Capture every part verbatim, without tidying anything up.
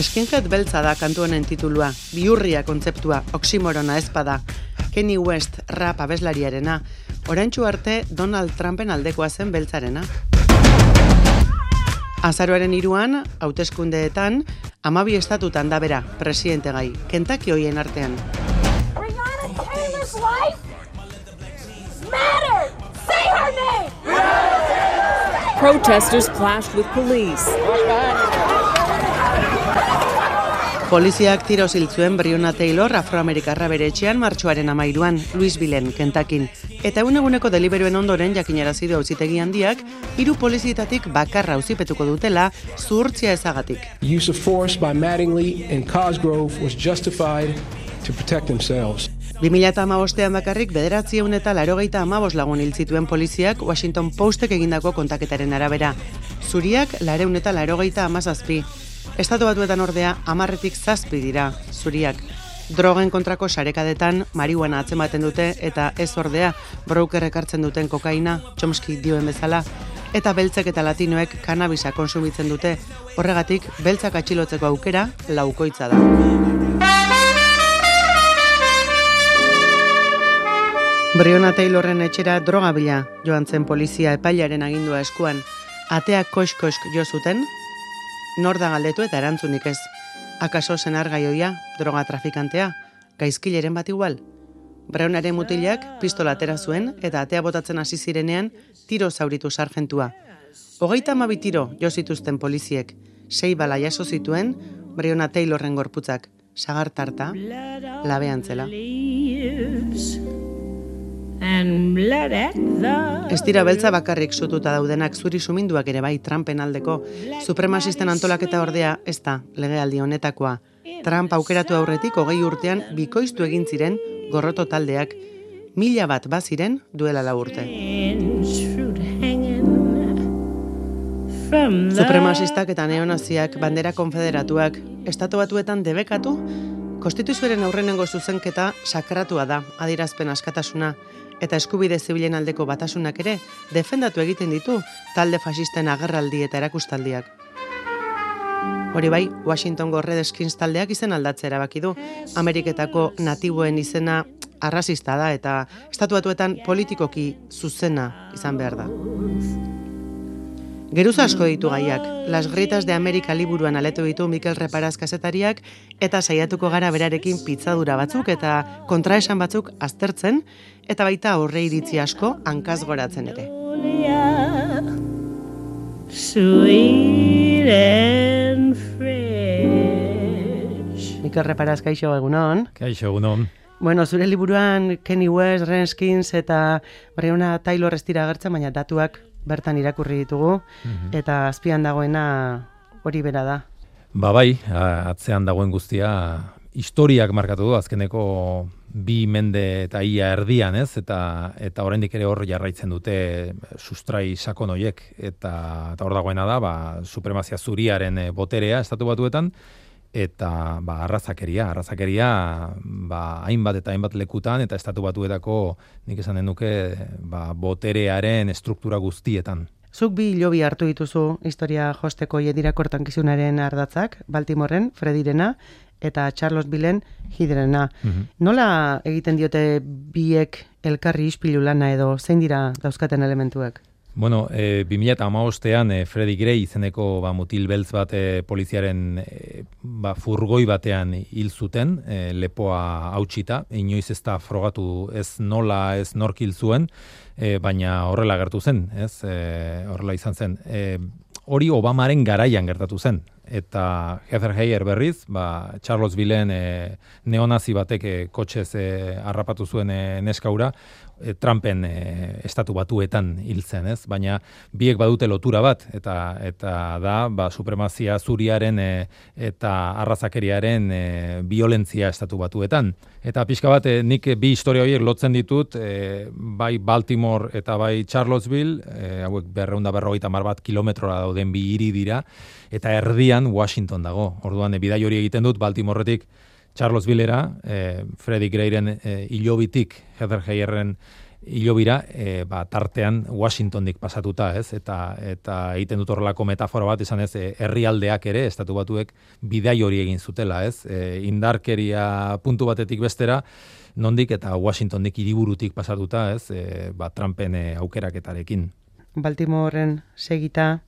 Skinhead beltza da kantu honen titulua, bihurria kontzeptua, oksimorona ezpada, Kanye West rap abeslariarena, oraintsu arte Donald Trumpen aldekoa zen beltzarena. Azaroaren hiruan, hauteskundeetan, hamabi estatutan da bera, presidente gai, Kentucky hoien artean. Breonna Taylor's life mattered! Say her name! Protesters clashed with police. Poliziak tiro ziltzuen Breonna Taylor afroamerikarra bere etxean martxoaren hamairuan, Louisvilleen, Kentuckyn. Eta egun-eguneko deliberuen ondoren jakinarazi du auzitegi handiak, hiru polizietatik bakarra auzipetuko dutela zuhurtzia ezagatik. Use of force by Mattingly and Cosgrove was justified to protect themselves. bi mila hamabostean bakarrik bederatziehun eta laurogeita hamabost lagun hil zituen poliziak Washington Postek egindako kontaketaren arabera. Zuriak laurehun eta laurogeita hamazazpi. Estatu Batuetan ordea hamarretik zazpi dira, zuriak. Drogen kontrako sarekadetan marihuana atzematen dute eta ez ordea brokerrek hartzen duten kokaina, Chomsky dioen bezala, eta beltzek eta latinoek kannabisa konsumitzen dute. Horregatik, beltzak atxilotzeko aukera laukoitza da. Breonna Taylorren etxera droga bila joan zen polizia epailaren agindua eskuan. Ateak kosk-kosk jo zuten, nor da galdetu eta erantzunik ez. Akaso senar gaioia, droga trafikantea, gaizkileren bat igual. Breonnaren mutilak pistola atera zuen eta atea botatzen hasi zirenean tiro zauritu sargentua. Hogeita hamabi tiro jo zituzten poliziek, sei bala jaso zituen Breonna Taylorren gorputzak, sagartarta, labean zela. Ez dira beltza bakarrik zututa daudenak, zuri suminduak ere bai Trumpen aldeko. Supremasisten antolaketa ordea ez da legealdi honetakoa. Trump aukeratu aurretik hogei urtean bikoiztu egin ziren gorroto taldeak. Mila bat baziren duela lau urte. Supremasistak eta neonaziak, bandera konfederatuak, Estatu Batuetan debekatu, konstituzioaren aurrenengo zuzenketa sakratua da, adierazpen askatasuna, eta eskubide zibilen aldeko batasunak ere defendatu egiten ditu talde fasisten agerraldi eta erakustaldiak. Hori bai, Washingtongo Redskins taldeak izen aldatzea erabaki du. Ameriketako natiboen izena arrazista da eta Estatu Batuetan politikoki zuzena izan behar da. Geruza asko ditu gaiak, Las Gritas de Amerika liburuan aletu ditu Mikel Reparaz kazetariak eta saiatuko gara berarekin pitzadura batzuk eta kontraesan batzuk aztertzen eta baita aurre iritzi asko hankaz goratzen ere. Mikel Reparaz, kaixo egunon. Kaixo egunon. Bueno, zure liburuan Kanye West, Redskins eta Breonna Taylor ez dira agertzen, baina datuak bertan irakurri ditugu, mm-hmm. eta azpian dagoena hori bera da. Ba bai, atzean dagoen guztia historiak markatu du, azkeneko bi mende eta ia erdian, ez? Eta eta oraindik ere hor jarraitzen dute sustrai sakon hoiek, eta eta hor dagoena da, ba supremazia zuriaren boterea Estatu Batuetan, eta ba arrazakeria, arrazakeria ba hainbat eta hainbat lekutan eta Estatu Batuetako nik esan denuke ba boterearen estruktura guztietan. Zuk bi hilobi hartu dituzu historia josteko jedirakortankizunaren ardatzak, Baltimoren, Fredirena eta Charlottesvilleen Hiderena. Mm-hmm. Nola egiten diote biek elkarri ispilu lana edo zein dira dauzkaten elementuak? Bueno, e, bi mila hamabostean e, Freddie Gray izeneko ba, mutil beltz bat e, poliziaren e, ba, furgoi batean hil zuten, e, lepoa hautsita, inoiz ez da frogatu ez nola ez nork hil zuen, e, baina horrela gertu zen, ez? E, horrela izan zen. E, hori Obamaren garaian gertatu zen. Eta Heather Heyer berriz, ba, Charlottesvilleen e, neonazi batek e, kotxez e, harrapatu zuen e, neskaura, e, Trumpen e, Estatu Batuetan hil zen, ez? Baina biek badute lotura bat, eta eta da ba, supremazia zuriaren e, eta arrazakeriaren e, violentzia Estatu Batuetan. Eta pixka bat, e, nik bi historia horiek lotzen ditut, e, bai Baltimore eta bai Charlottesville, e, hauek berrehun eta berrogeita hamar bat kilometrora dauden bi hiri dira, eta erdian Washington dago. Orduan, e, bidai hori egiten dut Baltimoretik Charlottesvillera, e, Freddie Grayren e, ilobitik Heather Heyerren hilobira, e, ba, tartean Washingtondik pasatuta, ez? Eta eta egiten dut horrelako metafora bat, esan ez, e, herrialdeak ere, estatu batuek bidai hori egin zutela, ez? E, indarkeria puntu batetik bestera, nondik eta Washingtondik hiriburutik pasatuta, ez? E, ba, Trumpen e, aukeraketarekin. Baltimoren segita,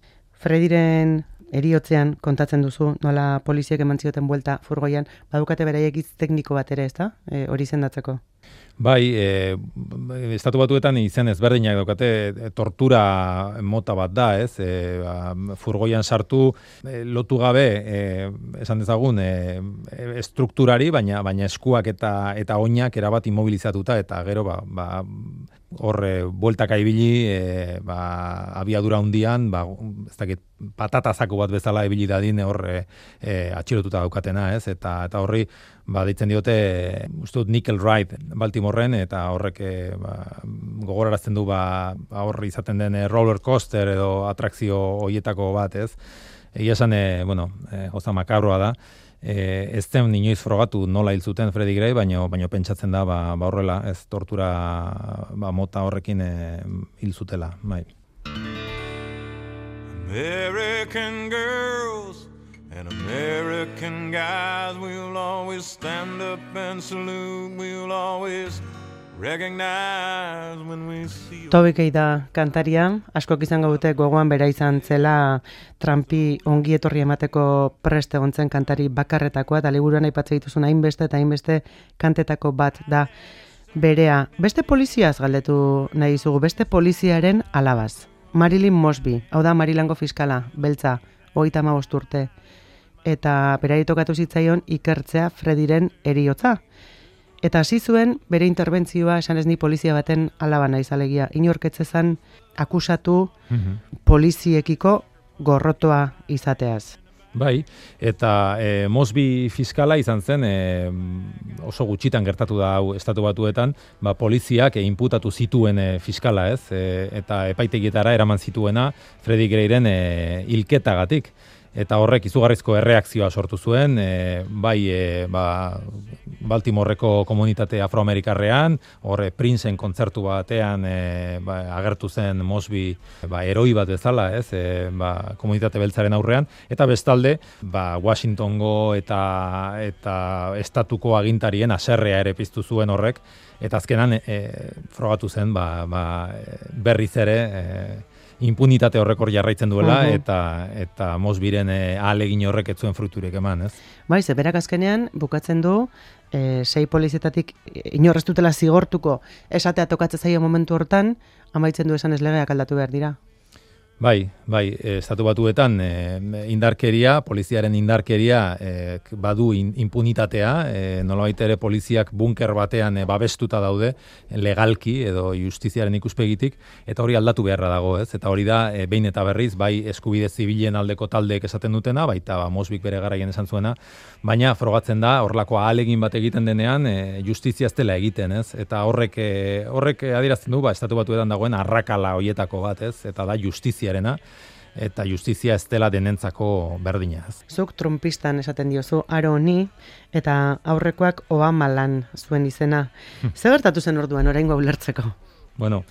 Frediren eriotzean kontatzen duzu, nola poliziek eman zioten buelta furgoian, badukate beraiek hitz tekniko bat ere, ezta? E, hori izendatzeko. Bai, e, estatu batuetan izen ezberdinak daukate, e, tortura mota bat da, ez? E, ba, furgoian sartu, e, lotu gabe, e, esan dezagun, e, estrukturari, baina baina eskuak eta eta oinak erabat immobilizatuta, eta gero, ba, ba horre bueltaka ibili, e, ba, abiadura hundian, ba, ez dakit, patatazako bat bezala ibili dadin horre e, atxilotuta daukatena, ez? Eta eta horri, ba, deitzen diote, uste dut Nickel Ride Baltimoren, eta horrek e, ba, gogorarazten du, ba, horri izaten den roller coaster edo atrakzio hoietako bat, ez? Egia esan, e, bueno, e, oza makabroa da. E, ez zen inoiz frogatu nola hil zuten Freddie Gray, baino, baino pentsatzen da, ba, ba horrela, ez tortura ba, mota horrekin e, hil zutela, bai. American girls and American guys, we'll always stand up and salute, we'll always recognize when we see you. Toby Keith da kantaria, askok izango dute gogoan bera izan zela Trumpi ongi etorri emateko prest egontzen kantari bakarretakoa, eta liburuan aipatzen dituzun hainbeste eta hainbeste kantetako bat da berea. Beste poliziaz galdetu nahi dizugu, beste poliziaren alabaz. Marilyn Mosby, hau da Marilango fiskala, beltza, hogeita hamabost urte. Eta berari tokatu zitzaion ikertzea Frediren eriotza. Eta hasi zuen bere interbentzioa esan ez ni polizia baten alaba naiz alegia. Inorketzezan akusatu mm-hmm. poliziekiko gorrotoa izateaz. Bai, eta e, Mosby fiskala izan zen, e, oso gutxitan gertatu da hau estatu batuetan, ba, poliziak e, inputatu zituen e, fiskala, ez? E, eta epaitegietara eraman zituena Freddie Grayren e, hilketagatik. Eta horrek izugarrizko erreakzioa sortu zuen, e, bai e, ba, Baltimoreko komunitate afroamerikarrean, horre Princeen kontzertu batean e, ba, agertu zen Mosby ba, eroi bat bezala, ez, e, ba, komunitate beltzaren aurrean, eta bestalde ba, Washingtongo eta eta estatuko agintarien haserrea ere piztu zuen horrek, eta azkenan e, frogatu zen ba, ba, berriz ere e, impunitate horrekor jarraitzen duela, uh-huh. eta eta Mosbyren e, ahalegin horrek ez zuen fruiturik eman, ez? Bai, ze berak azkenean bukatzen du e, sei polizietatik inorrez dutela zigortuko esatea tokatzen zaio momentu hortan, amaitzen du esan ez legeak aldatu behar dira. Bai, bai, estatu batuetan e, indarkeria, poliziaren indarkeria e, badu in, impunitatea, e, nolabait ere poliziak bunker batean e, babestuta daude, legalki edo justiziaren ikuspegitik, eta hori aldatu beharra dago, ez? Eta hori da, e, behin eta berriz, bai eskubide zibilen aldeko taldeek esaten dutena, baita ba, Mosbyk bere garaien esan zuena, baina frogatzen da, horrelako ahalegin bat egiten denean, e, justizia ez dela egiten, ez? Eta horrek, e, horrek adierazten du, ba, estatu batuetan dagoen arrakala hoietako bat, ez? Eta da justizia eta justizia ez dela denentzako berdina. Zuk trumpistan esaten diozu aro honi, eta aurrekoak Obama lan zuen izena. Zer gertatu zen orduan oraingo ulertzeko? Bueno,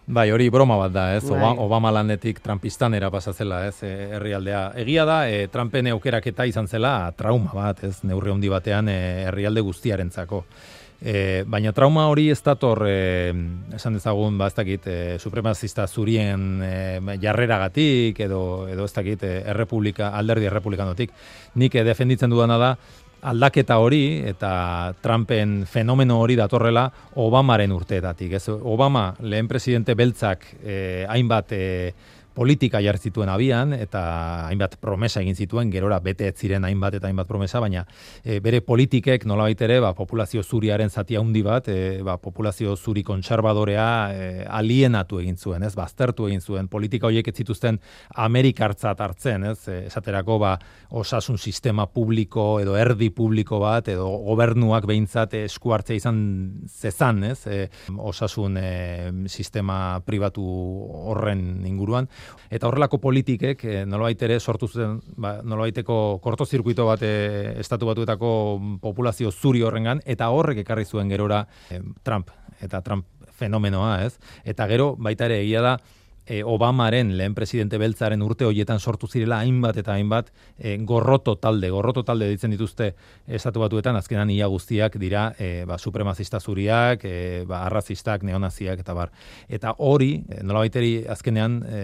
bai, hori broma bat da, ez? Bai. Obama lanetik Trumpistanera pasatzela, ez? E, herrialdea. Egia da, e, Trumpen aukeraketa izan zela trauma bat, ez? Neurri handi batean e, herrialde guztiarentzako. E, baina trauma hori ez dator, e, esan dezagun, ba, ez dakit, e, supremazista zurien e, jarreragatik, edo, edo ez dakit, e, errepublika, alderdi errepublikanotik. Nik e, defenditzen dudana da, aldaketa hori eta Trumpen fenomeno hori datorrela Obamaren urteetatik. Ez? Obama, lehen presidente beltzak, e, hainbat e, politika jarri zituen abian, eta hainbat promesa egin zituen, gerora bete ez ziren hainbat eta hainbat promesa, baina e, bere politikek nolabait ere, ba, populazio zuriaren zati handi bat, e, ba, populazio zuri kontserbadorea e, alienatu egin zuen, ez, baztertu egin zuen, politika horiek ez zituzten Amerikartzat hartzen, ez, e, esaterako ba, osasun sistema publiko edo erdi publiko bat, edo gobernuak behintzat esku hartzea izan zezan, ez, e, osasun e, sistema pribatu horren inguruan. Eta horrelako politikek e, nolabait ere sortu zuten, ba, nolabaiteko kortozirkuito bat e, estatu batuetako populazio zuri horrengan, eta horrek ekarri zuen gerora e, Trump. Eta Trump fenomenoa, ez? Eta gero, baita ere egia da, E, Obamaren lehen presidente beltzaren urte horietan sortu zirela hainbat eta hainbat e, gorroto talde, gorroto talde ditzen dituzte estatu batuetan, azkenan ia guztiak dira e, ba, supremazista zuriak, e, ba, arrazistak, neonaziak eta bar. Eta hori, e, nolabaiteri azkenean e,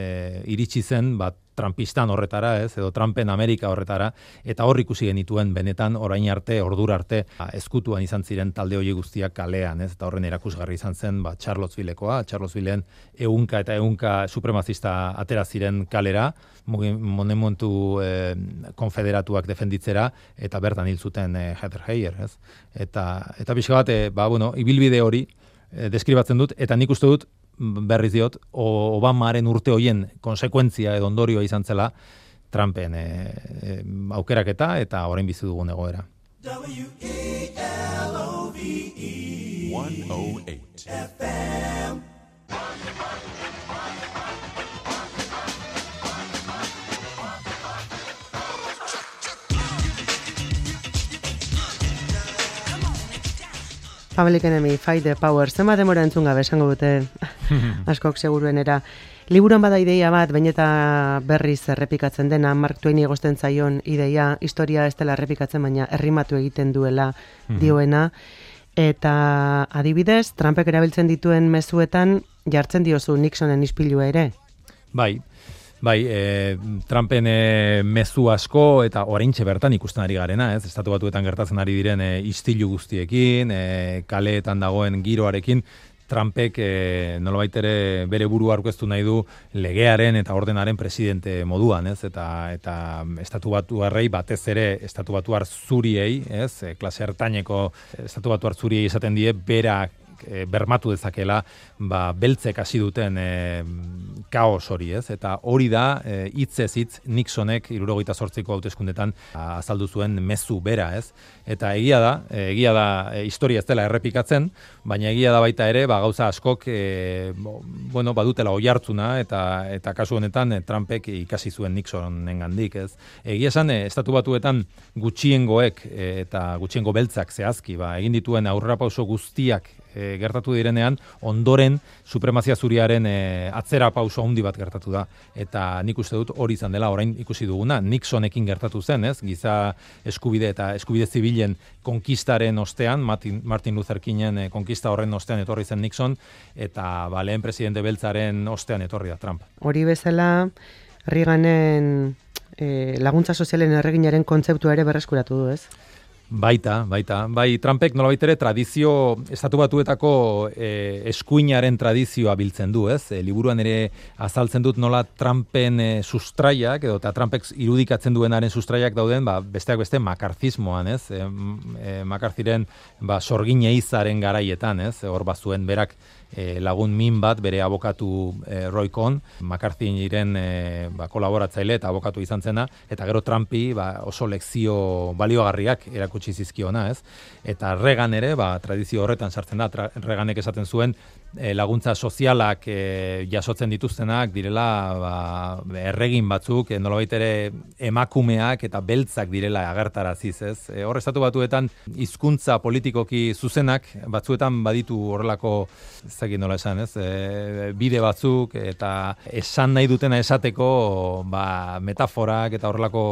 iritsi zen, bat Trumpistan horretara, ez, edo Trumpen Amerika horretara, eta hor ikusi genituen benetan orain arte, ordura arte, ba, ezkutuan izan ziren talde hori guztiak kalean, ez, eta horren erakusgarri izan zen, ba, Charlottesvillekoa, Charlottesvilleen ehunka eta ehunka supremazista atera ziren kalera, monumentu eh, konfederatuak defenditzera, eta bertan hil zuten eh, Heather Heyer, ez, eta, eta pixka bat, eh, ba, bueno, ibilbide hori eh, deskribatzen dut, eta nik uste dut, berriz diot, Obamaren urte hoien konsekuentzia edo ondorioa izan zela Trumpen e, e, aukeraketa eta orain bizi dugun egoera. W E L O V E one oh eight F M Public Enemy, Fight the Power, zema demora entzun gabe, esango dute askok seguruenera. Liburuan bada ideia bat, baina eta berriz errepikatzen dena, Mark Twaini egosten zaion ideia, historia ez dela errepikatzen, baina errimatu egiten duela dioena. Eta adibidez, Trumpek erabiltzen dituen mezuetan jartzen diozu Nixonen ispilua ere. Bai. Bai, e, Trumpen e, mezu asko eta oraintxe bertan ikusten ari garena, ez? Estatu Batuetan gertatzen ari diren e, istilu guztiekin, e, kaleetan dagoen giroarekin, Trumpek e, nolabait ere bere burua aurkeztu nahi du legearen eta ordenaren presidente moduan, ez? Eta eta Estatu Batuarrei batez ere Estatu Batuar zuriei, ez? E, klase ertaineko Estatu Batuar zuriei esaten die berak E, bermatu dezakela, ba, beltzek hasi duten e, kaos hori, ez? Eta hori da, e, hitzez hitz Nixonek hirurogeita zortziko hauteskundetan azaldu zuen mezu bera, ez? Eta egia da, e, egia da e, historia ez dela errepikatzen, baina egia da baita ere, ba, gauza askok, e, bueno, badutela oihartzuna, eta eta kasu honetan e, Trumpek ikasi zuen Nixonengandik, ez? Egia esan, e, Estatu Batuetan gutxiengoek e, eta gutxiengo beltzak zehazki, ba, egin dituen aurrerapauso guztiak E, gertatu direnean, ondoren supremazia zuriaren e, atzera pauso handi bat gertatu da. Eta nik uste dut hori izan dela orain ikusi duguna. Nixonekin gertatu zen, ez? Giza eskubide eta eskubide zibilen konkistaren ostean, Martin, Martin Luther Kingen e, konkista horren ostean etorri zen Nixon, eta ba, lehen presidente beltzaren ostean etorri da Trump. Hori bezala, Reaganen e, laguntza sozialen erreginaren kontzeptua ere berreskuratu du, ez? Baita, baita. Bai, Trumpek nolabait ere tradizio, Estatu Batuetako e, eskuinaren tradizioa biltzen du, ez? E, liburuan ere azaltzen dut nola Trumpen e, sustraiak, edo eta Trumpek irudikatzen duenaren sustraiak dauden, ba, besteak beste makartismoan, ez? E, e, Makartiren ba, sorgin eizaren garaietan, ez? Hor bazuen berak E, lagun min bat bere abokatu e, Roy Cohn, McCarthyren e, ba, kolaboratzaile eta abokatu izan zena, eta gero Trumpi ba, oso lekzio baliogarriak erakutsi zizkiona, ez? Eta Reagan ere, ba, tradizio horretan sartzen da, tra, Reaganek esaten zuen e, laguntza sozialak e, jasotzen dituztenak direla ba, erregin batzuk, e, nolabait ere emakumeak eta beltzak direla agertaraziz, ez? E, hor Estatu Batuetan hizkuntza politikoki zuzenak batzuetan baditu horrelako ezagik nola esan, ez? E, bide batzuk eta esan nahi dutena esateko ba, metaforak eta horrelako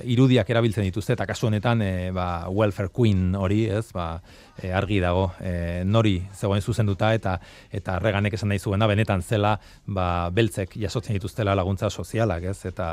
irudiak erabiltzen dituzte, eta kasu honetan e, ba, welfare queen hori, ez? Ba, e, argi dago e, nori zegoen zuzenduta, eta eta Reaganek esan nahi zuena benetan zela ba, beltzek jasotzen dituztela laguntza sozialak, ez? Eta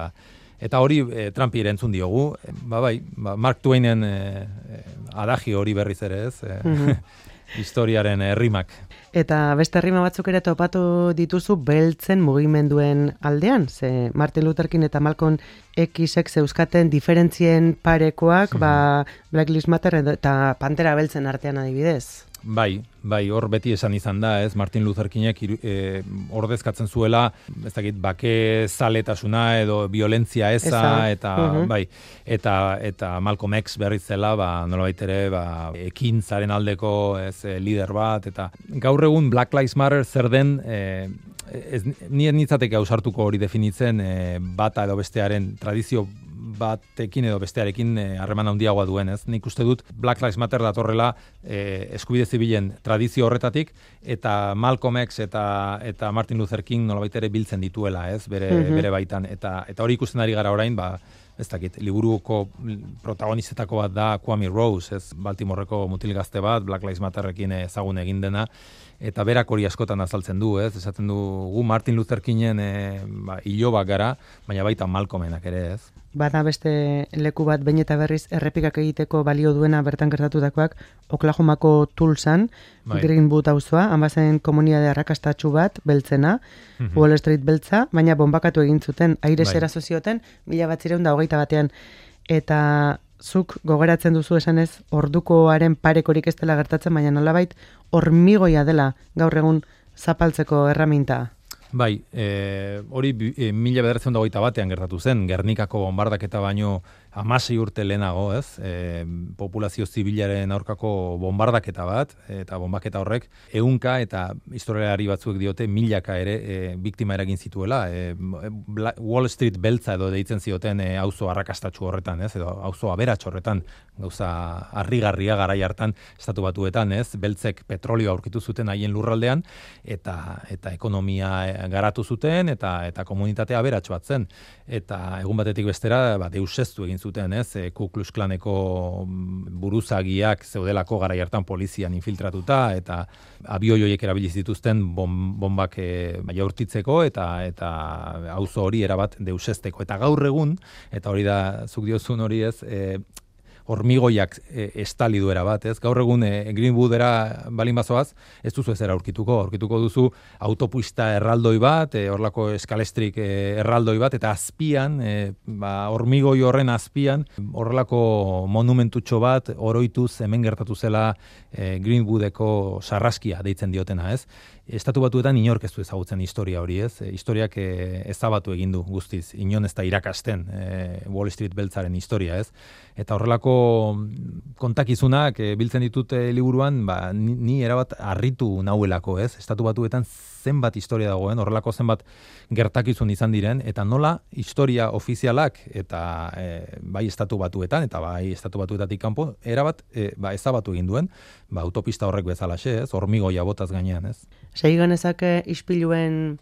Eta hori e, Trumpi erantzun diogu, e, ba, bai, ba, Mark Twainen e, e, adagi hori berriz ere, ez? E, mm-hmm. Historiaren errimak. Eta beste rima batzuk ere topatu dituzu beltzen mugimenduen aldean, ze Martin Luther King eta Malcolm X-ek zeuzkaten diferentzien parekoak, mm-hmm. ba, Black Lives Matter eta Pantera beltzen artean adibidez. Bai, bai, hor beti esan izan da, ez, Martin Luther Kingek e, ordezkatzen zuela, ez dakit, bake zaletasuna edo violentzia eza, eza. eta uh-huh. bai, eta eta Malcolm X berriz zela, ba, nolabait ere, ba, ekintzaren aldeko, ez, lider bat, eta gaur egun Black Lives Matter zer den, e, ez, nire nitzateke ausartuko hori definitzen, e, bata edo bestearen tradizio batekin edo bestearekin harreman handiagoa duen, ez? Nik uste dut Black Lives Matter datorrela eh, eskubide zibilen tradizio horretatik, eta Malcolm X eta eta Martin Luther King nolabait ere biltzen dituela, ez? Bere, mm-hmm. bere baitan, eta eta hori ikusten ari gara orain, ba, ez dakit, liburuko protagonistetako bat da Kwame Rose, ez? Baltimoreko mutil gazte bat, Black Lives Matterrekin ezagun egin dena, eta berak hori askotan azaltzen du, ez? Esaten du, gu Martin Luther Kingen e, ba, ilobak gara, baina baita Malcolmenak ere, ez? Bada beste leku bat behin eta berriz errepikak egiteko balio duena bertan gertatutakoak Oklahomako Tulsan, bai. Greenwood auzoa, han bazen komunitate arrakastatsu bat, beltzena, mm-hmm. Wall Street beltza, baina bombakatu egin zuten, aire bai. Eraso zioten, mila batzireun da hogeita batean, eta zuk gogeratzen duzu esanez, ordukoaren parekorik ez dela gertatzen, baina nolabait hormigoia dela gaur egun zapaltzeko erraminta. Bai, e, hori e, mila bederatziehun eta hogeita batean gertatu zen, Gernikako bombardaketa baino hamasei urte lehenago, ez? E, populazio zibilaren aurkako bombardaketa bat, eta bombaketa horrek ehunka eta historialari batzuek diote milaka ere e, biktima eragin zituela. E, Wall Street beltza edo deitzen zioten e, auzo arrakastatsu horretan, ez? Edo auzo aberats horretan, gauza harrigarria garai hartan estatu batuetan, ez? Beltzek petrolio aurkitu zuten haien lurraldean, eta eta ekonomia garatu zuten, eta eta komunitatea aberats bat zen. Eta egun batetik bestera, ba, deuseztu egin zuten, ez? E, Ku Klux Klaneko buruzagiak zeudelako garai hartan polizian infiltratuta, eta abioi horiek erabili zituzten bom, bombak e, ba, jaurtitzeko, eta eta auzo hori erabat deusezteko. Eta gaur egun, eta hori da, zuk diozun hori ez, e, hormigoiak e, estali duera bat, ez? Gaur egun e, Greenwoodera balin bazoaz, ez duzu ezera aurkituko, aurkituko duzu autopista erraldoi bat, e, horlako eskalestrik e, erraldoi bat, eta azpian, e, ba, hormigoi horren azpian, horrelako monumentutxo bat, oroituz hemen gertatu zela e, Greenwoodeko sarraskia deitzen diotena, ez? Estatu Batuetan inork ez du ezagutzen historia hori, ez? E, historiak e, ezabatu egin du guztiz, inon ez da irakasten e, Wall Street beltzaren historia, ez? Eta horrelako kontakizunak e, biltzen ditut e, liburuan, ba, ni, ni erabat harritu nauelako, ez? Estatu Batuetan zenbat historia dagoen, horrelako zenbat gertakizun izan diren, eta nola historia ofizialak, eta e, bai Estatu Batuetan, eta bai Estatu Batuetatik kanpo, erabat e, ba, ezabatu egin duen, ba, autopista horrek bezalaxe, ez? Hormigoia botaz gainean, ez? Segi genezake ispiluen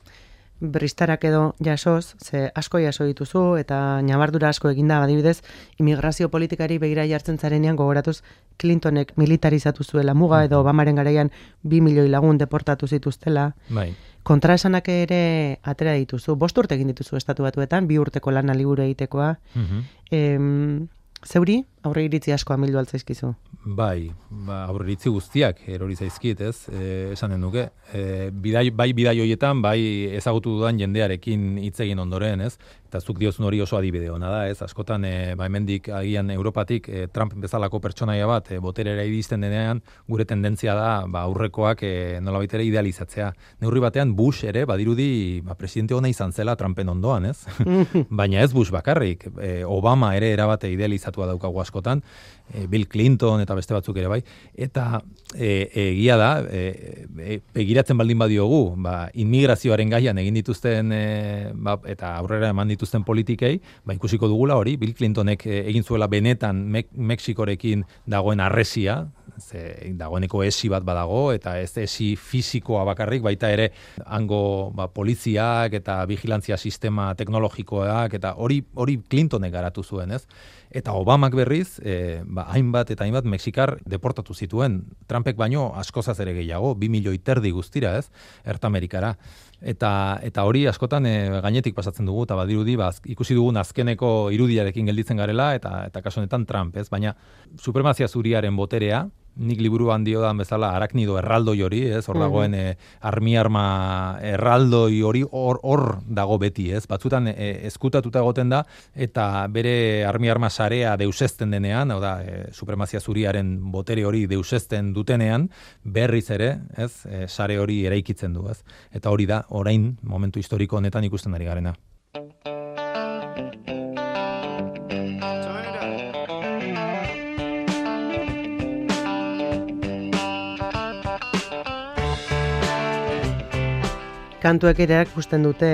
bristarak edo jasoz, ze asko jaso dituzu eta ñabardura asko eginda, adibidez, immigrazio politikari begira jartzen zarenean gogoratuz Clintonek militarizatu zuela muga edo Obamaren garaian bi milioi lagun deportatu zituztela. Bai. Kontraesanak ere atera dituzu. Bost urte egin dituzu Estatu Batuetan, bi urteko lana liburu egitekoa. Mm-hmm. Em, zeuri, aurre iritzi asko amildu altzaizkizu? Bai, ba, aurre iritzi guztiak erori zaizkit, ez? E, esanen duke. E, bidai, bai bidai hoietan, bai ezagutu dudan jendearekin hitz egin ondoren, ez? Eta zuk diozun hori oso adibide hona da, ez? Askotan, e, ba, hemendik agian Europatik e, Trump bezalako pertsonaia bat e, boterera iristen denean, gure tendentzia da ba, aurrekoak e, nolabait ere idealizatzea. Neurri batean Bush ere, badirudi, ba, presidente hona izan zela Trumpen ondoan, ez? Baina ez Bush bakarrik, e, Obama ere erabate idealizatua daukagu askotan, e, Bill Clinton eta beste batzuk ere bai, eta egia e, da, e, e, begiratzen baldin badiogu, ba, inmigrazioaren gaian egin dituzten, e, ba, eta aurrera eman dituzten politikei, ba, ikusiko dugula hori, Bill Clintonek e, egin zuela benetan Me- Mexikorekin dagoen arresia, ze dagoeneko esi bat badago, eta ez esi fisikoa bakarrik, baita ere hango ba, poliziak eta vigilantzia sistema teknologikoak, eta hori hori Clintonek garatu zuen, ez? Eta Obamak berriz, e, ba, hainbat eta hainbat Mexikar deportatu zituen, Trumpek baino askozaz ere gehiago, bi milioi terdi guztira, ez? Ertamerikara. Eta eta hori askotan e, gainetik pasatzen dugu, eta badirudi ba, ikusi dugun azkeneko irudiarekin gelditzen garela, eta eta kasu honetan Trump, ez? Baina supremazia zuriaren boterea, nik liburuan diodan bezala araknido erraldoi hori, ez? Hor dagoen e, armi arma erraldoi hori hor hor dago beti, ez? Batzutan e, ezkutatuta egoten da, eta bere armi arma sarea deusezten denean, hau da, e, supremazia zuriaren botere hori deusezten dutenean, berriz ere, ez? E, sare hori eraikitzen du, ez? Eta hori da, orain, momentu historiko honetan ikusten ari garena. Kantuek ere ikusten dute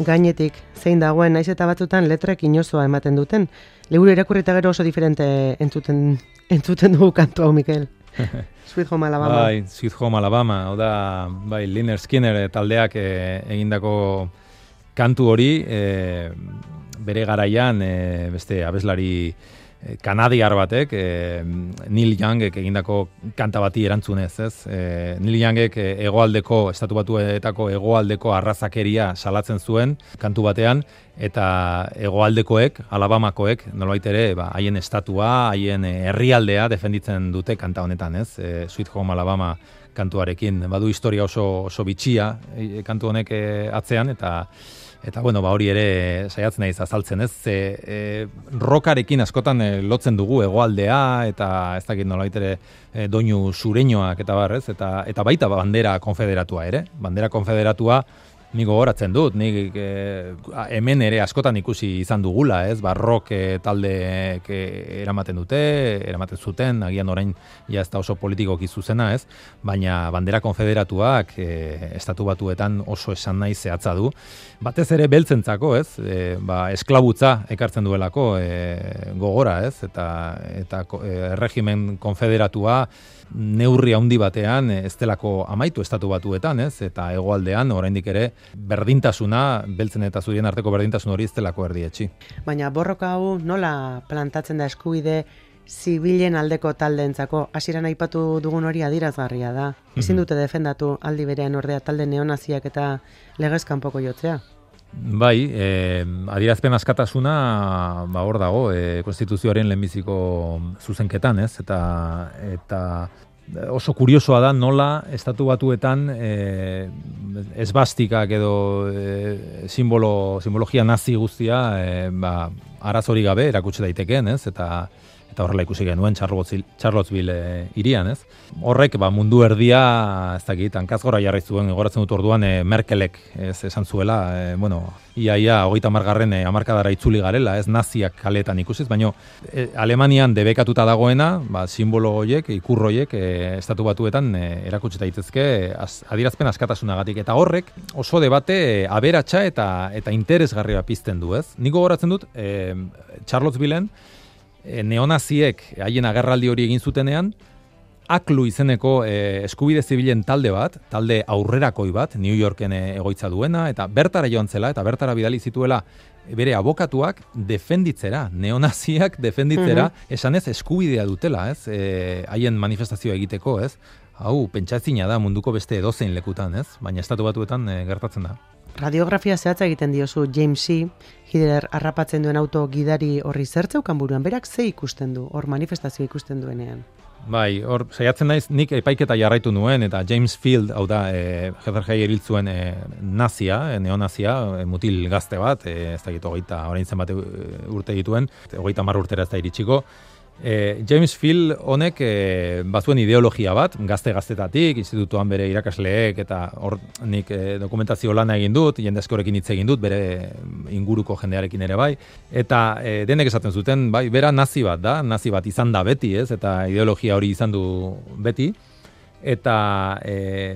gainetik zein dagoen, naiz eta batzutan letrek inozoa ematen duten. Liburu irakurrita gero oso diferente entzuten, entzuten dugu kantu hau, Mikel. Sweet Home Alabama. Bai, Sweet Home Alabama, hau da, bai, Lynyrd Skynyrd taldeak e, egindako kantu hori, e, bere garaian, e, beste abeslari kanadiar batek, e, Neil Youngek egindako kanta bati erantzunez, ez? E, Neil Youngek hegoaldeko, estatu batuetako hegoaldeko arrazakeria salatzen zuen kantu batean, eta hegoaldekoek, Alabamakoek, nolbait ere, ba, haien estatua, haien herrialdea defenditzen dute kanta honetan, ez? E, Sweet Home Alabama kantuarekin, badu historia oso, oso bitxia e, kantu honek e, atzean, eta Eta, bueno, ba, hori ere saiatzen naiz azaltzen, ez? Ze, e, rokarekin askotan e, lotzen dugu hegoaldea, eta ez dakit nolabait ere e, doinu sureñoak eta barrez, eta, eta baita bandera konfederatua ere. Bandera konfederatua nik gogoratzen dut, nik e, hemen ere askotan ikusi izan dugula, ez? Ba, rock e, taldeek eramaten dute, eramaten zuten, agian orain ja ez da oso politikoki zuzena, ez? Baina bandera konfederatuak e, estatu batuetan oso esan nahi zehatza du. Batez ere beltzentzako, ez? E, ba, esklabutza ekartzen duelako e, gogora, ez? Eta, eta e, erregimen konfederatua neurri handi batean ez delako amaitu estatu batuetan, ez? Eta hegoaldean oraindik ere berdintasuna, beltzen eta zurien arteko berdintasun hori ez delako erdietsi. Baina borroka hau nola plantatzen da eskubide zibilen aldeko taldeentzako? Hasieran aipatu dugun hori adierazgarria da. Ezin dute defendatu aldi berean ordea talde neonaziak eta legez kanpoko jotzea. Bai, eh, adierazpen askatasuna ba hor dago, eh, konstituzioaren lehenbiziko zuzenketan, ez? Eta eta oso kuriosoa da nola estatu batuetan eh, esbastikak edo eh, simbolo, simbologia nazi guztia eh, ba, arazori gabe erakutsi daitekeen, ez? Eta eta horrela ikusi genuen Charlottesville e, irian, ez? Horrek, ba, mundu erdia, ez dakit, hankazgora jarri zuen, gogoratzen dut orduan e, Merkelek ez, esan zuela, e, bueno, ia, ia, hogeita hamargarren e, hamarkadara itzuli garela, ez naziak kaletan ikusiz, baina e, Alemanian debekatuta dagoena, ba, simbolo horiek, ikur horiek, e, estatu batuetan e, erakutsi daitezke az, adierazpen askatasunagatik, eta horrek oso debate e, aberatsa eta eta interesgarria pizten du, ez? Nik gogoratzen dut, e, Charlottesvilleen, neonaziek haien agerraldi hori egin zutenean, Aklu izeneko e, eskubide zibilen talde bat, talde aurrerakoi bat, New Yorken e, egoitza duena, eta bertara joan zela, eta bertara bidali zituela bere abokatuak defenditzera, neonaziak defenditzera, mm-hmm. esanez eskubidea dutela, ez, e, haien manifestazioa egiteko, ez, hau, pentsatzina da munduko beste edozein lekutan, ez, baina estatu batuetan e, gertatzen da. Radiografia zehatza egiten diozu James C. Hitler harrapatzen duen auto gidari horri zertzeukan buruan, berak ze ikusten du, hor manifestazio ikusten duenean? Bai, hor saiatzen naiz, nik epaiketa jarraitu nuen, eta James Field, hau da, e, Heather Heyer hil zuen e, nazia, e, neonazia, e, mutil gazte bat, e, ez da gitu, hogeita, orain zenbat urte dituen, hogeita mar urtera ez da iritsiko. E, James Field honek e, bazuen ideologia bat, gazte-gaztetatik, institutuan bere irakasleek, eta hor nik e, dokumentazio lana egin dut, jende askorekin hitz egin dut, bere inguruko jendearekin ere bai, eta e, denek esaten zuten, bai, bera nazi bat da, nazi bat izan da beti, ez, eta ideologia hori izan du beti, eta e,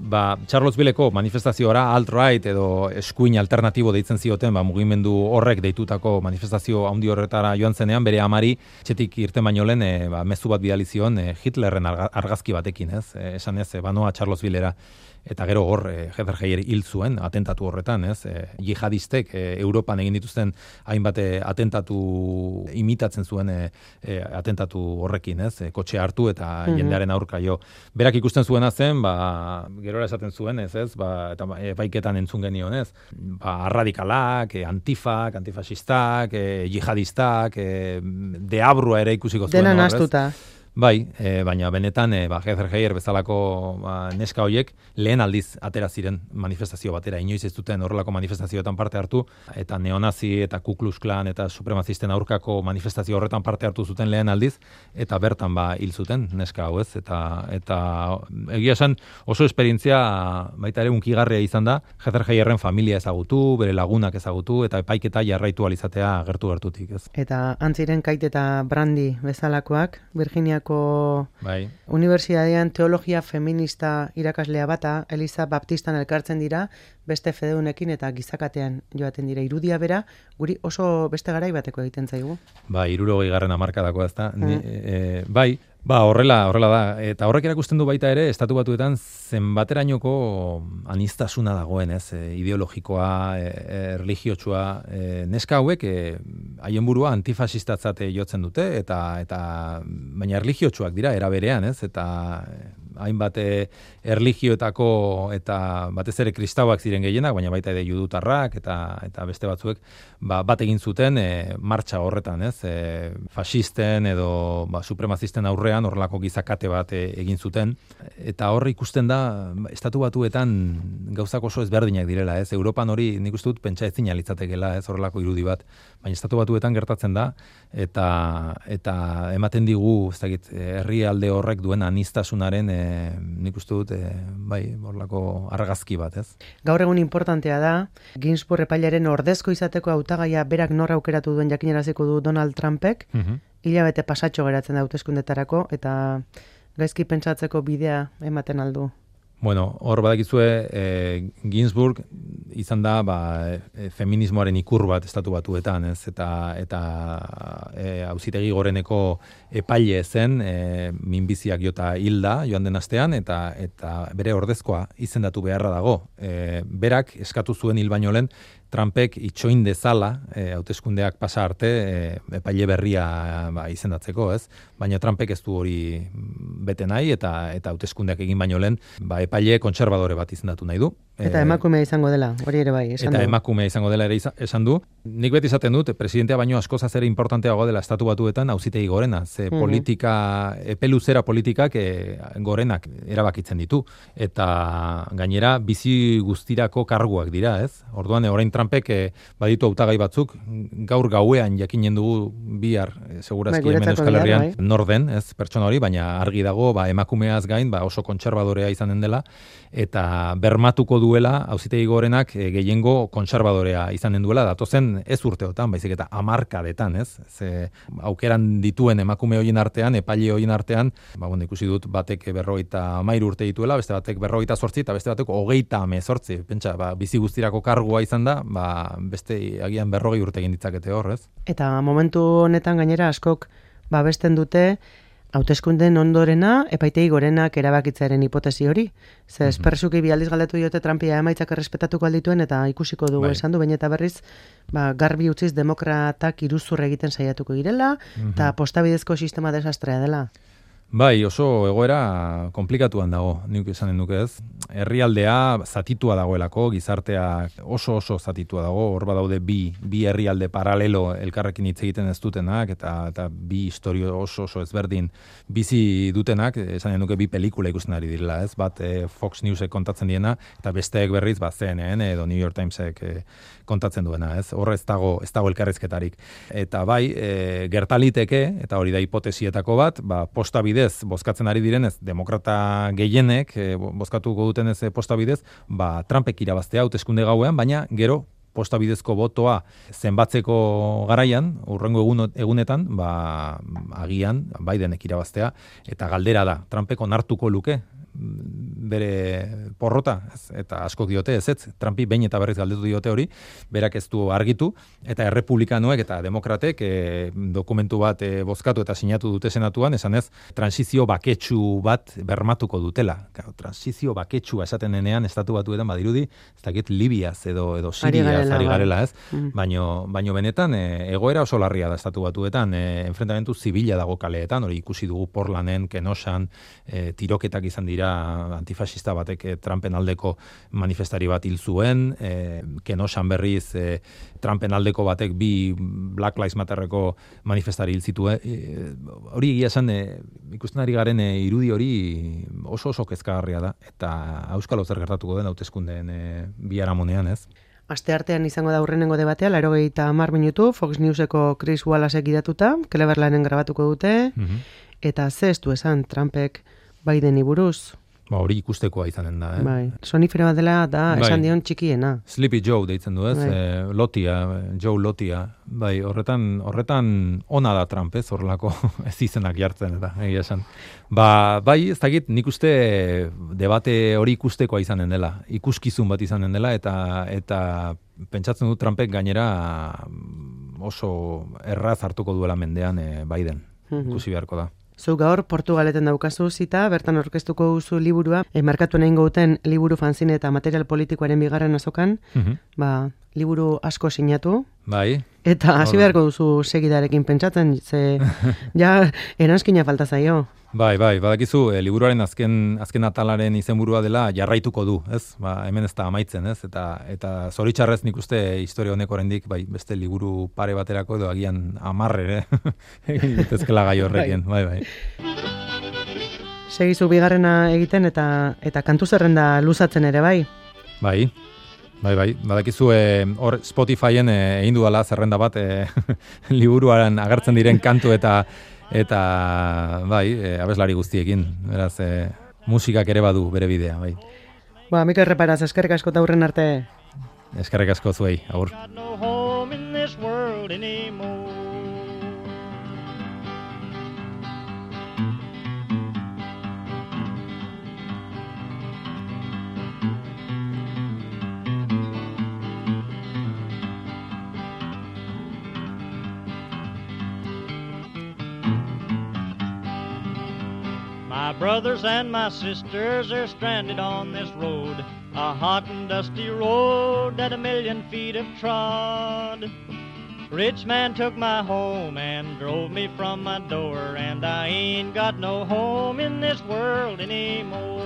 ba, Charlottesvilleko manifestazioara alt-right edo eskuin alternatibo deitzen zioten, ba, mugimendu horrek deitutako manifestazio handi horretara joan zenean, bere amari txetik irten baino lehen e, ba, mezu bat bidali zion e, Hitlerren argazki batekin, ez? E, esan ez, e, banoa Charlottesvillera. Eta gero hor, e, Heather Heyer hil zuen atentatu horretan, ez? E, jihadistek e, Europan egin dituzten hainbat atentatu imitatzen zuen e, e, atentatu horrekin, ez? E, kotxe hartu eta mm-hmm. jendearen aurka jo. Berak ikusten zuena zen, ba, gerora esaten zuen, ez, ez? Ba, eta epaiketan entzun genion, ez? Ba, radikalak, e, antifak, antifasistak, e, jihadistak, e, deabrua ere ikusiko zuen. Dena nastuta. Bai, e, baina benetan e, ba, Heather Heyer bezalako ba, neska horiek lehen aldiz atera ziren manifestazio batera. Inoiz ez duten horrelako manifestazioetan parte hartu, eta neonazi eta Ku Klux Klan eta supremazisten aurkako manifestazio horretan parte hartu zuten lehen aldiz, eta bertan ba hil zuten neska hau, ez, eta, eta egia esan oso esperientzia baita ere unkigarria izan da, Heather Heyerren familia ezagutu, bere lagunak ezagutu, eta epaiketa jarraitu alizatea gertu gertutik, ez. Eta antziren Kate eta Brandy bezalakoak, Virginiako Kaliforniako bai. Unibertsitatean teologia feminista irakaslea bata, Eliza Baptistan elkartzen dira, beste fedeunekin eta gizakatean joaten dira. Irudia bera, guri oso beste garai bateko egiten zaigu. Bai, hirurogei garren hamarkadako ezta. Mm. E, bai, ba, horrela, horrela da. Eta horrek erakusten du baita ere, Estatu Batuetan zenbaterainoko anistasuna dagoen, ez? E, ideologikoa, e, e, religiotsua, e, neska hauek e, haien burua antifasistatzate jotzen dute eta eta baina erligiotsuak dira era berean, ez? Eta hainbat erligioetako eta batez ere kristauak ziren gehienak, baina baita ere judutarrak eta eta beste batzuek ba, bat egin zuten e, martxa horretan, ez? E, fasisten edo ba, supremazisten aurrean horrelako gizakate bat e, egin zuten eta hor ikusten da Estatu Batuetan gauzak oso ezberdinak direla, ez? Europan hori nik uste dut pentsa ezina litzatekeela, ez? Horrelako irudi bat, baina Estatu Batuetan gertatzen da eta eta ematen digu, ez dakit, herrialde horrek duen anistasunaren e, nik uste dut, e, bai, horrelako argazki bat, ez? Gaur egun importantea da, Ginsburg epailaren ordezko izateko hautagaia berak nor aukeratu duen jakinaraziko du Donald Trumpek, Mhm. hilabete pasatxo geratzen da hauteskundetarako eta gaizki pentsatzeko bidea ematen aldu. Bueno, hor badakizue, e, Ginsburg izan da ba, e, feminismoaren ikur bat Estatu Batuetan, ez? Eta eta e, auzitegi goreneko epaile zen, e, minbiziak jota hilda joan den astean eta eta bere ordezkoa izendatu beharra dago. E, berak eskatu zuen hil baino lehen Trumpek itxoin dezala, e, hauteskundeak pasa arte, e, epaile berria ba, izendatzeko, ez? Baina Trumpek ez du hori bete nahi eta eta hauteskundeak egin baino lehen, ba, epaile kontserbadore bat izendatu nahi du. Eta emakumea izango dela, hori ere bai, esan eta du. Eta emakumea izango dela ere esan du. Nik beti izaten dut, presidentea baino askozaz ere importanteago dela Estatu Batuetan auzitegi gorena, ze Mhm. politika, epeluzera politikak e, gorenak erabakitzen ditu. Eta gainera bizi guztirako karguak dira, ez? Orduan, orain Trumpek e, baditu hautagai batzuk, gaur gauean jakinen dugu bihar, e, segurazki Bai, hemen guretzako Euskal Herrian, bihar, bai. nor den, ez, pertsona hori, baina argi dago, ba, emakumeaz gain, ba, oso kontserbadorea izanen dela, eta bermatuko duela, auzitegi gorenak e, gehiengo kontserbadorea izanen duela, datozen ez urteotan, baizik eta hamarkadetan, ez? Ze aukeran dituen emakume horien artean, epaile horien artean, ba, bueno, ikusi dut batek berrogeita hamairu urte dituela, beste batek berrogeita zortzi, eta beste batek hogeita hemezortzi. Pentsa, ba, bizi guztirako kargua izan da, ba, beste agian berrogei urte egin ditzakete hor, ez? Eta momentu honetan gainera askok babesten dute hauteskunden ondorena epaitegi gorenak erabakitzearen hipotesi hori. Ze espersuki bi aldiz galdetu diote Trumpia emaitzak errespetatuko aldituen eta ikusiko dugu Bai. esan du, baina eta berriz ba, garbi utziz demokratak iruzur egiten saiatuko direla eta postabidezko sistema desastrea dela. Bai, oso egoera komplikatuan dago, nik esanen duke ez. Herrialdea zatitua dagoelako, gizartea oso oso zatitua dago, hor badaude bi, bi herrialde paralelo elkarrekin hitz egiten ez dutenak, eta, eta bi historio oso oso ezberdin bizi dutenak, esanen duke bi pelikula ikusten ari direla, ez? Bat e, Fox Newsek kontatzen diena, eta besteek berriz, ba, C N N edo New York Timesek e, kontatzen duena, ez? Hor ez dago, ez dago elkarrizketarik. Eta bai, e, gertaliteke, eta hori da hipotesietako bat, ba, posta bidez bozkatzen ari direnez, demokrata gehienek e, bozkatuko dutenez e, posta bidez, ba, Trumpek irabaztea hauteskunde gauean, baina gero posta bidezko botoa zenbatzeko garaian, urrengo egun, egunetan, ba, agian Bidenek irabaztea, eta galdera da, Trumpek onartuko luke bere porrota, ez, eta askok diote ez ez, Trumpi behin eta berriz galdetu diote hori, berak ez du argitu, eta errepublikanoek eta demokratek e, dokumentu bat e, bozkatu eta sinatu dute senatuan, esan ez, transizio baketsu bat bermatuko dutela. Claro, transizio baketsua esaten denean Estatu Batuetan badirudi, ez dakit Libiaz edo, edo Siriaz ari garela, ez, Mm. baino, baino benetan e, egoera oso larria da Estatu Batuetan, e, enfrentamentu zibila dago kaleetan, hori ikusi dugu Portlanen, Kenosan, e, tiroketak izan dira antifascista batek e, Trumpen aldeko manifestari bat hil zuen, e, Kenosan berriz e, Trumpen aldeko batek bi Black Lives Matterreko manifestari hil zituen. E, hori egia esan, e, ikusten ari garen e, irudi hori oso oso kezkagarria da, eta auskalo zer gertatuko den hauteskundeen e, biharamunean, ez? Asteartean izango da aurrenengo debatea, laurogeita hamar minutu, Fox Newseko Chris Wallace idatuta, Clevelanden grabatuko dute, Mhm. eta ze ez du esan Trumpek Bideni buruz. Ba, hori ikustekoa izanen da, eh? Bai, sonifero bat dela da, Bai. esan dion txikiena. Sleepy Joe deitzen du, ez? Bai. E, Lotia, Joe Lotia. Bai, horretan, horretan ona da Trump, ez? Horrelako ez izenak jartzen, eta egia esan. Ba, bai, ez dakit, nik uste debate hori ikustekoa izanen dela. Ikuskizun bat izanen dela, eta eta pentsatzen du Trumpek gainera oso erraz hartuko duela mendean e, Biden. Ikusi beharko da. Zu gaur Portugaleten daukazu zita, bertan aurkeztuko duzu liburua, e, markatu nahi gauten liburu fanzine eta material politikoaren bigarren azokan, Mhm. ba, liburu asko sinatu, Bai. eta hasi beharko duzu segidarekin pentsatzen, ze ja eranskina falta zaio. Bai, bai, badakizu, e, liburuaren azken azken atalaren izenburua dela jarraituko du, ez? Ba, hemen ez da amaitzen, ez? Eta eta zoritxarrez nik uste historia honek oraindik bai, beste liburu pare baterako edo agian hamar ere egin daitezkeela gai horrekin, bai, bai. Segizu bigarrena egiten eta eta kantu zerrenda luzatzen ere bai. Bai. Bai, bai, badakizu e, hor Spotifyen e, egin dudala zerrenda bat e, liburuaren agertzen diren kantu eta eta bai, e, abeslari guztiekin, beraz, e, musikak ere badu bere bidea, bai. Ba, Mikel Reparaz, eskerrik asko eta hurren arte. Eskerrik asko zuei, agur. Got no home in this world anymore. My brothers and my sisters are stranded on this road, a hot and dusty road that a million feet have trod. Rich man took my home and drove me from my door, and I ain't got no home in this world anymore.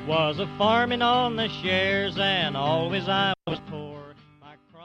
Was a farming on the shares, and always I